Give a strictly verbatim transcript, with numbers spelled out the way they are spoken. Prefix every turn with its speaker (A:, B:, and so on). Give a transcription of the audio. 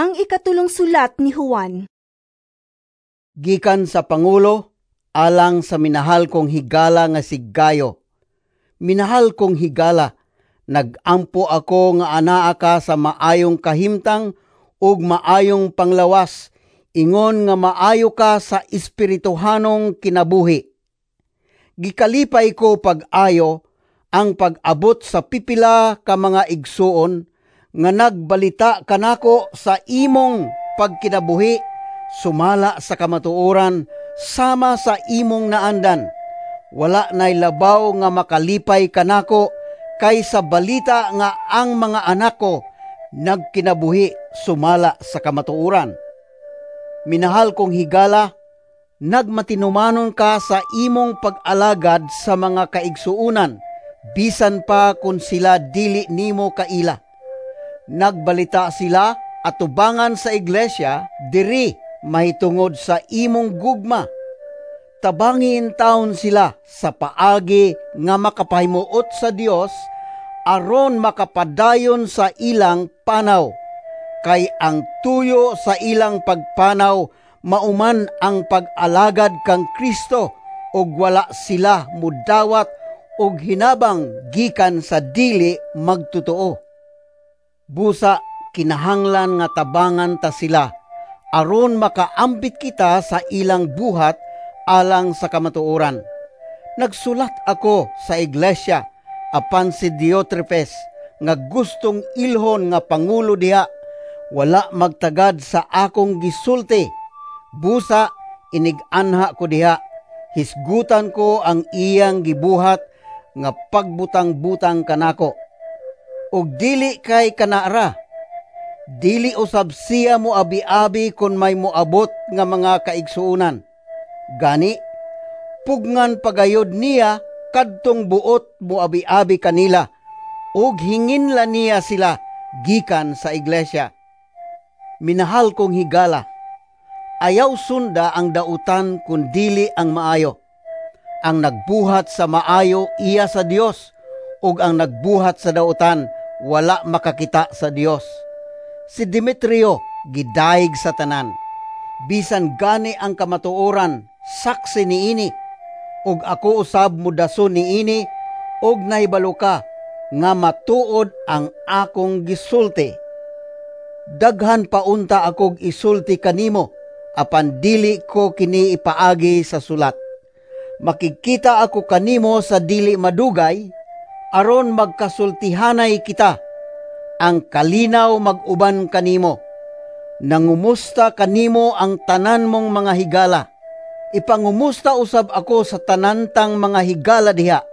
A: Ang ikatulong sulat ni Juan.
B: Gikan sa Pangulo, alang sa minahal kong higala nga si Gayo. Minahal kong higala, nagampo ako nga anaa ka sa maayong kahimtang ug maayong panglawas, ingon nga maayo ka sa espirituhanong kinabuhi. Gikalipay ko pag-ayo ang pag-abot sa pipila ka mga igsuon nga nagbalita kanako sa imong pagkinabuhi sumala sa kamatuoran sama sa imong naandan. Wala nay labaw nga makalipay kanako kaysa balita nga ang mga anak ko nagkinabuhi sumala sa kamatuoran. Minahal kong higala, nagmatinumanon ka sa imong pag-alagad sa mga kaigsuonan, bisan pa kun sila dili nimo kaila. Nagbalita sila atubangan sa iglesia diri mahitungod sa imong gugma. Tabangi intawon sila sa paagi nga makapahimuot sa Dios aron makapadayon sa ilang panaw. Kay ang tuyo sa ilang pagpanaw mauman ang pag-alagad kang Kristo ug wala sila mudawat og hinabang gikan sa dili magtotoo. Busa kinahanglan nga tabangan ta sila aron makaambit kita sa ilang buhat alang sa kamatuoran. Nagsulat ako sa iglesia apan si Diotrepes nga gustong ilhon nga pangulo diha wala magtagad sa akong gisulti. Busa inig-anha ko diha, hisgutan ko ang iyang gibuhat nga pagbutang-butang kanako. Ug dili kay kanara, dili usab siya moabi-abi kon may moabot nga mga kaigsuonan. Gani, pugngan pagayod niya kadtong buot moabi-abi kanila, ug hinginla niya sila gikan sa iglesia. Minahal kong higala, ayaw sunda ang dautan kun dili ang maayo. Ang nagbuhat sa maayo iya sa Dios, ug ang nagbuhat sa dautan wala makakita sa Dios. Si Demetrio gidayeg sa tanan. Bisan gani ang kamatuoran saksi niini, ug ako usab modason niini, ug nahibalo ka nga matuod ang akong gisulti. Daghan pa unta akog isulti kanimo, apan dili ko kini ipaagi sa sulat. Makigkita ako kanimo sa dili madugay, aron magkasultihanay kita. Ang kalinaw mag-uban kanimo. Nangumusta kanimo ang tanan mong mga higala. Ipangumusta usab ako sa tanantang mga higala diha.